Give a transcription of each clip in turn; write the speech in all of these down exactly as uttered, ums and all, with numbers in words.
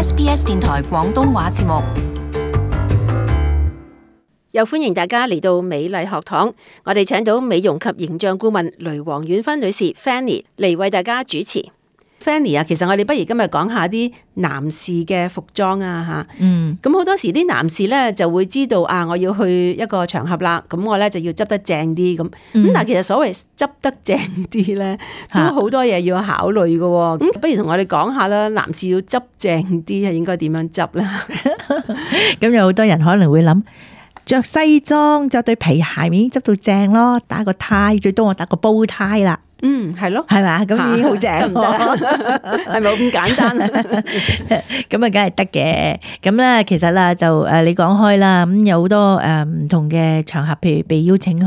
S B S 電台廣東話節目。又歡迎大家嚟到美麗學堂，我哋請到美容及形象顧問雷黃婉芬女士 Fanny 嚟為大家主持。Fanny 啊，其實我哋不如今日講下啲男士嘅服裝啊吓。嗯，咁好多時啲男士咧就會知道啊，我要去一個場合啦，咁我咧就要執得正啲咁。咁、嗯、但係其實所謂執得正啲咧，都好多嘢要考慮嘅。咁不如同我哋講下啦，男士要執正啲係應該點樣執啦？咁有好多人可能會諗，着西裝着對皮鞋已經執到正咯，打個呔，最多我打個煲呔啦。嗯，係咯，係嘛，咁已經好正，係咪咁簡單啊？咁啊，梗係得嘅。咁咧，其實啦，就誒，你講開啦，咁有好多誒唔同嘅場合，譬如被邀請去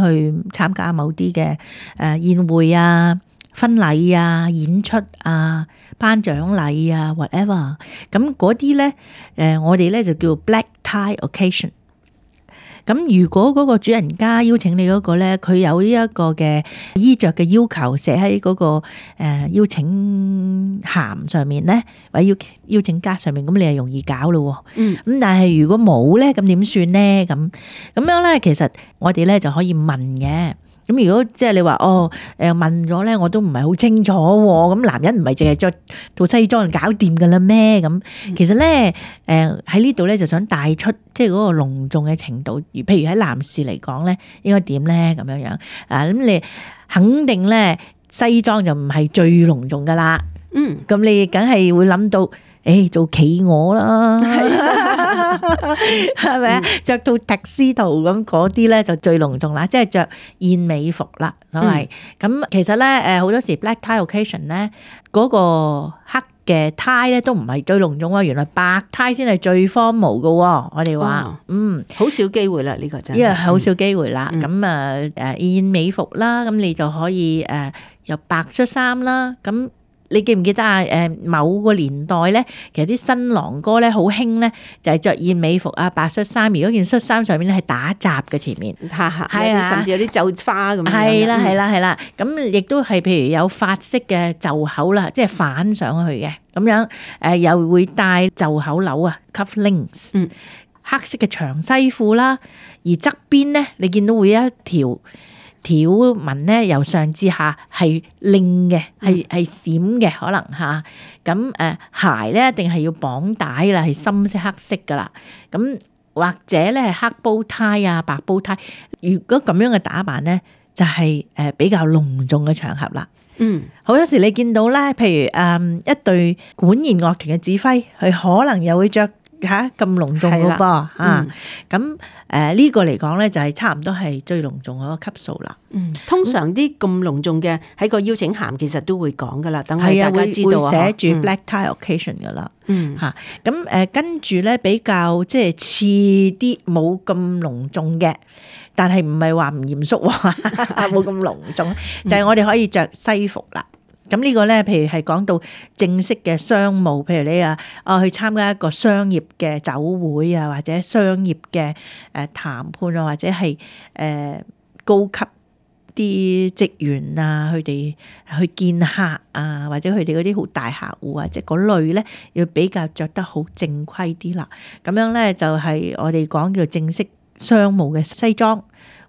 參加某啲嘅誒宴會啊、婚禮啊、演出啊、頒獎禮啊 ，whatever。咁嗰啲咧，誒，我哋咧就叫 black tie occasion。咁如果嗰個主人家邀請你嗰個咧，佢有呢一個嘅衣着嘅要求寫喺嗰個誒邀請函上面咧，或者邀邀請卡上面，咁你係容易搞咯。嗯。咁但係如果冇咧，咁點算咧？咁咁樣咧，其實我哋咧就可以問嘅。咁如果即係你話哦，誒問咗咧，我都唔係好清楚喎。咁男人唔係淨係着套西裝就搞掂噶啦咩？咁其實咧，誒喺呢度咧就想帶出即係嗰個隆重嘅程度。如譬如喺男士嚟講咧，應該點咧？咁樣樣啊，咁你肯定咧西裝就唔係最隆重噶啦。嗯，咁你梗係會諗到，誒做企鵝啦，係咪啊？着到特斯圖咁嗰啲咧就最隆重啦，即係着燕尾服啦，所謂。咁其實咧誒好多時 black tie occasion 咧嗰個黑嘅 tie 咧都唔係最隆重啊，原來白 tie 先係最 formal 噶。我哋話嗯好少機會啦，呢個真係，因為好少機會啦。咁啊誒燕尾服啦，咁你就可以誒有白恤衫啦，咁。你記唔記得啊？誒，某個年代咧，其實啲新郎哥咧好興咧，就係着燕尾服啊、白恤衫。而嗰件恤衫上面咧係打褶嘅前面，係啊，甚至有啲皺花咁樣。係啦，係啦，係啦。咁亦都係譬如有法式嘅袖口啦，即係反上去嘅咁樣。誒，又會戴袖口鈕啊 ，cufflinks。嗯，黑色嘅長西褲啦，而側邊咧，你見到會有一條條紋咧，由上至下係亮嘅，係係閃嘅，可能嚇。咁誒鞋咧，一定係要綁帶啦，係深色黑色噶啦。咁或者咧係黑煲呔啊，白煲呔。如果咁樣嘅打扮咧，就係誒比較隆重嘅場合啦。嗯，好多時你見到咧，譬如誒一隊管弦樂團嘅指揮，佢可能又會着嚇咁隆重嘅噃嚇。咁誒呢個嚟講咧，就係差唔多係最隆重嗰個級數啦。嗯，通常啲咁隆重嘅喺個邀請函其實都會講噶啦，等係大家知道啊。會寫住 black tie occasion 噶啦。嗯，嚇咁誒跟住咧比較即係似啲冇咁隆重嘅，但係唔係話唔嚴肅喎，冇咁隆重，就係我哋可以着西服啦。咁呢個咧，譬如係講到正式嘅商務，譬如你啊，哦去參加一個商業嘅酒會啊，或者商業嘅誒談判啊，或者係誒高級啲職員啊，佢哋去見客啊，或者佢哋嗰啲好大客戶啊，即係嗰類咧，要比較着得好正規啲啦。咁樣咧就係我哋講叫正式商務嘅西裝，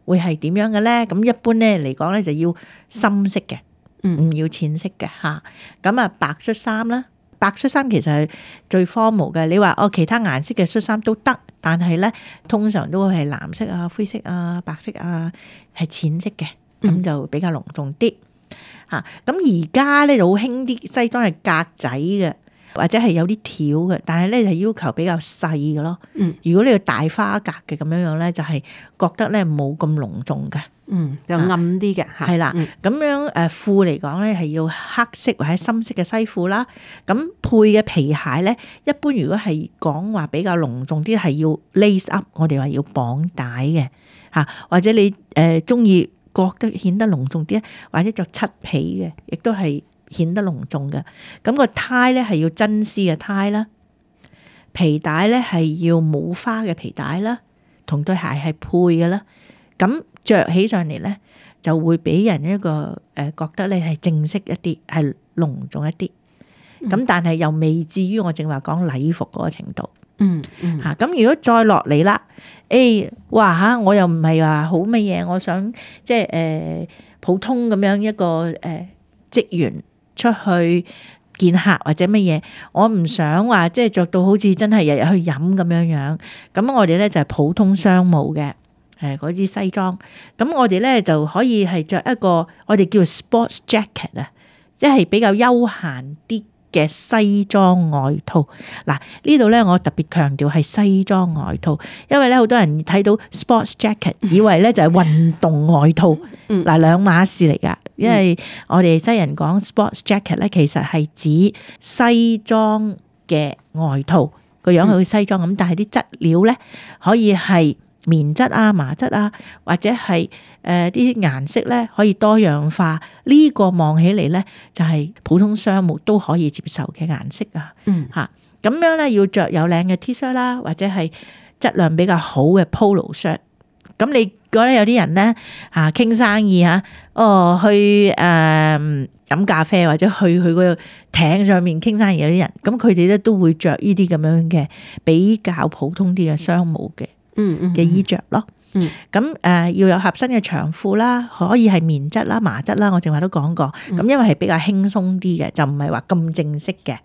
會係點樣嘅咧？咁一般咧嚟講咧就要深色嘅。唔要淺色嘅嚇，咁啊白恤衫啦，白恤衫其實係最 formal 嘅。你話哦，其他顏色嘅恤衫都得，但係咧通常都會係藍色啊、灰色啊、白色啊，係淺色嘅，咁就比較隆重啲嚇。咁而家咧就好興啲西裝係格仔嘅，或者係有啲條嘅，但係咧就要求比較細嘅咯。嗯，如果你要大花格嘅咁樣樣咧，就係覺得咧冇咁隆重嘅。嗯，就暗啲嘅嚇，係啦，咁樣誒褲嚟講咧係要黑色或者深色嘅西褲啦。咁配嘅皮鞋咧，一般如果係講話比較隆重啲，係要 lace up，我哋話要綁帶嘅嚇，或者你誒中意覺得顯得隆重啲，或者着漆皮嘅，亦都係顯得隆重嘅。咁個呔咧係要真絲嘅呔啦，皮帶咧係要冇花嘅皮帶啦，同對鞋係配嘅啦。咁着起上嚟咧，就會俾人一個誒覺得你係正式一啲，係隆重一啲。咁、嗯、但係又未至於我正話講禮服嗰個程度。嗯嗯嚇，咁如果再落嚟啦，誒、哎，哇嚇，我又唔係話好乜嘢，我想即係誒普通咁樣一個誒、呃、職員出去見客或者乜嘢，我唔想話即係着到好似真係日日去飲咁樣樣。咁我哋咧就係普通商務嘅誒嗰啲西裝，咁我哋咧就可以係着一個我哋叫 sports jacket 啊，即係比較休閒啲嘅西裝外套。嗱，呢度咧我特別強調係西裝外套，因為咧好多人睇到 sports jacket 以為咧就係運動外套，嗱、嗯、兩碼事嚟噶。因為我哋西人講 sports jacket 咧，其實係指西裝嘅外套，個樣好似西裝咁，但係啲質料咧可以係棉質啊、麻質啊，或者係誒啲顏色咧可以多樣化。呢、這個望起嚟咧就係普通商務都可以接受嘅顏色啊。嗯，嚇咁樣咧要着有領嘅 T-shirt 啦，或者係質量比較好嘅 polo shirt。咁你覺得有啲人咧嚇傾生意嚇，哦去誒飲、呃、咖啡或者去去個艇上面傾生意有啲人，咁佢哋咧都會着呢啲咁樣嘅比較普通啲嘅商務嘅。嗯嗯嘅衣着咯，嗯，咁誒、呃、要有合身嘅長褲啦，可以係棉質啦、麻質啦，我正話都講過，咁、嗯、因為係比較輕鬆啲嘅，就唔係話咁正式嘅。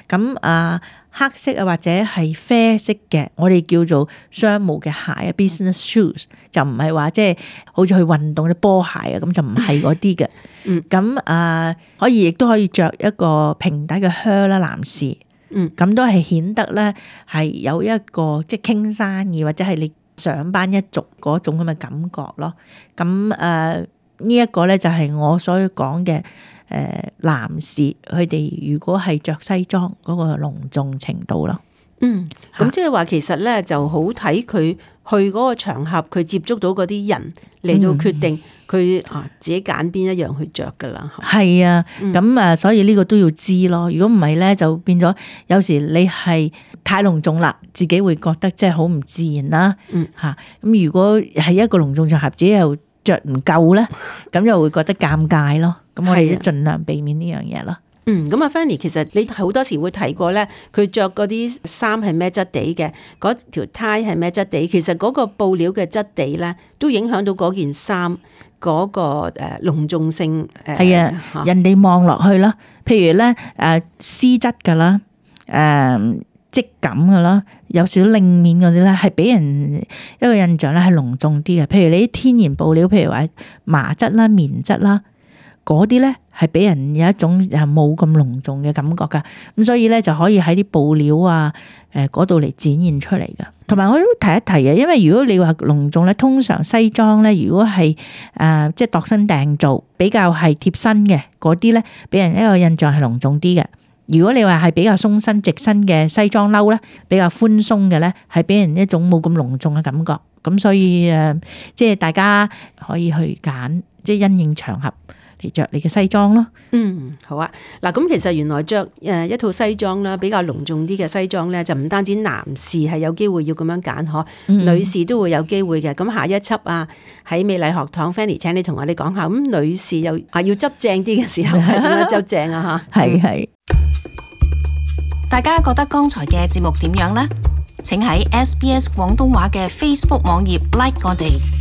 咁啊、呃、黑色啊或者係啡色嘅，我哋叫做商務嘅鞋啊 ，business shoes， 就唔係話即係好似去運動啲波鞋啊，咁就唔係嗰啲嘅。嗯，咁啊、呃、可以亦都可以着一個平底嘅靴啦，男士。嗯，咁都係顯得咧係有一個即係傾生意或者係你上班一族嗰種咁嘅感覺咯。咁誒、呃這個、呢一個咧就係我所講嘅誒男士佢哋如果係着西裝嗰個隆重程度咯。嗯，咁即係話其實咧就好睇佢去嗰個場合，佢接觸到嗰啲人嚟到決定佢啊自己揀邊一樣去着噶啦。係啊，咁啊、嗯，所以呢個都要知咯。如果唔係咧，就變咗有時你係太隆重啦，自己會覺得即係好唔自然啦。嗯，吓咁如果係一個隆重場合，自己又着唔夠咧，咁又會覺得尷尬咯。咁我哋都盡量避免呢樣嘢咯。嗯，咁啊 Fanny 其實你好多時會提過咧，佢着嗰啲衫係咩質地嘅，嗰條呔係咩質地，其實嗰個布料嘅質地咧，都影響到嗰件衫嗰個誒隆重性。誒係啊，啊人哋望落去啦，譬如咧誒絲質噶啦，誒質感噶啦，有少少亮面嗰啲咧，係俾人一個印象咧係隆重啲嘅。譬如你啲天然布料，譬如話麻質啦、棉質啦。嗰啲咧係俾人有一種誒冇咁隆重嘅感覺噶，咁所以咧就可以喺啲布料啊誒嗰度嚟展現出嚟噶。同埋我都提一提嘅，因為如果你話隆重咧，通常西裝咧如果係誒、呃、即係度身訂造，比較係貼身嘅嗰啲咧，俾人一個印象係隆重啲嘅。如果你話係比較鬆身直身嘅西裝褸咧，比較寬鬆嘅咧，係俾人一種冇咁隆重嘅感覺。咁所以誒、呃，即係大家可以去揀，即係因應場合嚟着你嘅西裝咯。嗯，好啊。嗱，咁其實原來着誒一套西裝啦，比較隆重啲嘅西裝咧，就唔單止男士係有機會要咁樣揀，嗬、嗯，女士都會有機會嘅。咁下一輯啊，喺美麗學堂 Fanny 請你同我哋講下，咁女士又啊要執正啲嘅時候係點樣執正啊？吓，係係。大家覺得剛才嘅節目點樣呢？請喺 S B S 廣東話嘅 Facebook 網頁 like 我哋。